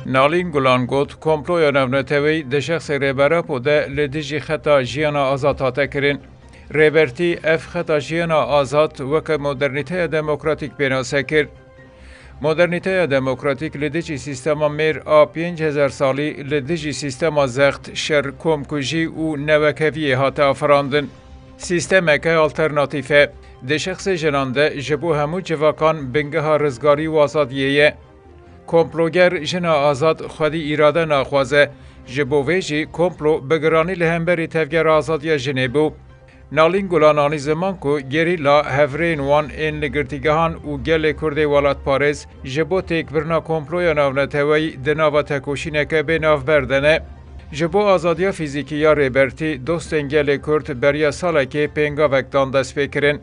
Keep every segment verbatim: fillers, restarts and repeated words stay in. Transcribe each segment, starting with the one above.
Nalîn Gulan got, komploya navneteweyî di şexsê Rêber Apo de li dijî xeta jiyana azad hate kirin. Rêbertî ev xeta jiyana azad weke modernîteya demokratîk pênase kir. Modernîteya demokratîk li dijî sîstema mêr a pênc hezar salî, li dijî sîstema zext, şer, komkujî û newekheviyê hate afirandin. Sîstemeke alternatîf e. Di şexsê jinan de ji bo hemû civakan bingeha rizgarî û azadiyê ye. Komploger jina azad xwedî îrade naxwaze. Ji bo vê jî komplo bi giranî li hemberî Tevgera Azadiya Jinê bû. Nalîn Gulan anî ziman ku gerîla, hevrêyên wan ên li girtîgehan û gelê Kurdê welatparêz ji bo têkbirina komploya navneteweyî di nava tekoşîneke bê navber de ne. Ji bo azadiya fîzîkî ya Rêbertî, dostên gelê Kurd beriya salekê pêngavek dan destpêkirin.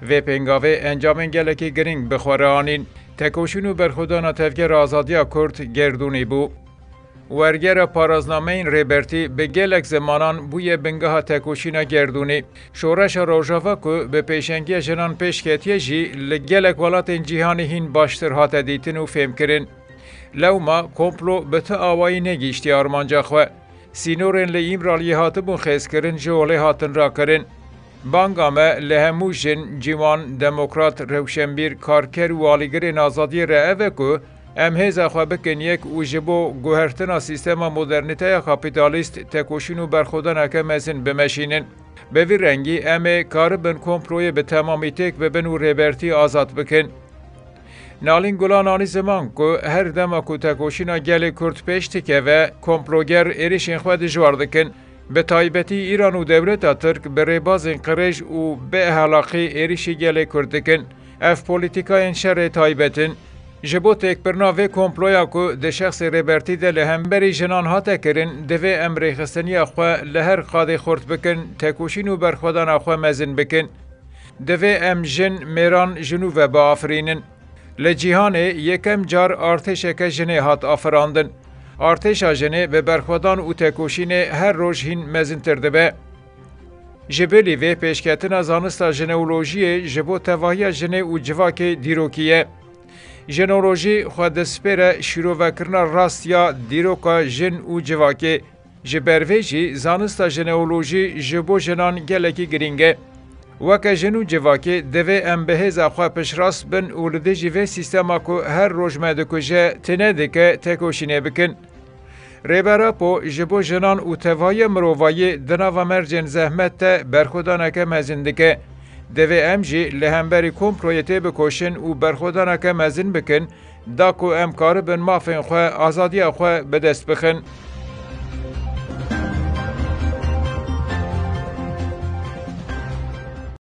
Vê pêngavê encamên gelekî girîng bi xwe re anîn. Tekoşîn û berxwedana Tevgera Azadiya Kurd gerdûnî bû. Wergera paraznameyên Rêbertî bi gelek zimanan bûye bingeha tekoşîna gerdûnî. Şoreşa Rojava ku bi pêşengiya jinan pêş ketiye jî li gelek welatên cîhanê hîn baştir hate dîtin û fêmkirin. Lewma komplo bi ti awayî negihîştiye armanca xwe. Sînorên li Îmraliyê hatibûn xêzkirin ji holê hatin rakirin. Banga me li hemû jin, ciwan, demokrat, rewşenbîr, karker û alîgirên azadiyê re ev e ku em hêza xwe bikin yek û ji bo guhertina sîstema modernîteya kapîtalîst tekoşîn û berxwedaneke mezin bimeşînin. Bi vî rengî em ê karibin komployê bi temamî têk bibin û Rêbertî azad bikin. Nalîn Gulan anî ziman ku her dema ku tekoşîna gelê Kurd pêş dikeve, komploger êrişên xwe dijwar dikin. Bi taybetî Îran û dewleta Tirk bi rêbazên qirêj û bêehlaqî êrişî gelê Kurd dikin. Ev polîtîkayên şerê taybet in. Ji bo têkbirina vê komploya ku di şexsê Rêbertî de li hemberî jinan hate kirin, divê em rêxistiniya xwe li her qadê xurt bikin, tekoşîn û berxwedana xwe mezin bikin. Divê em jin, mêran, ji nû ve biafirînin. Li cîhanê yekem car artêşeke jinê hat afirandin. Artêşa jinê bi berxwedan û tekoşînê her roj hîn mezintir dibe. Ji bilî vê pêşketina zanista jineolojiyê ji bo tevahiya jinê û civakê dîrokî ye. Jineolojî xwe dispêre şîrovekirina rast ya dîroka jin û civakê. Ji ber vê jî zanista jineolojî ji bo jinan gelekî girîng e. Weke jin û civakê divê em bi hêza xwe piştrast bin û li dijî vê sîstema ku her roj me dikuje, tune dike, tekoşînê bikin. Rêber Apo ji bo jinan û tevahiya mirovayî di nava mercên zehmet de berxwedaneke mezin dike. Divê em jî li hemberî komployê têbikoşin û berxwedaneke mezin bikin, da ku em karibin mafên xwe, azadiya xwe bi dest bixin.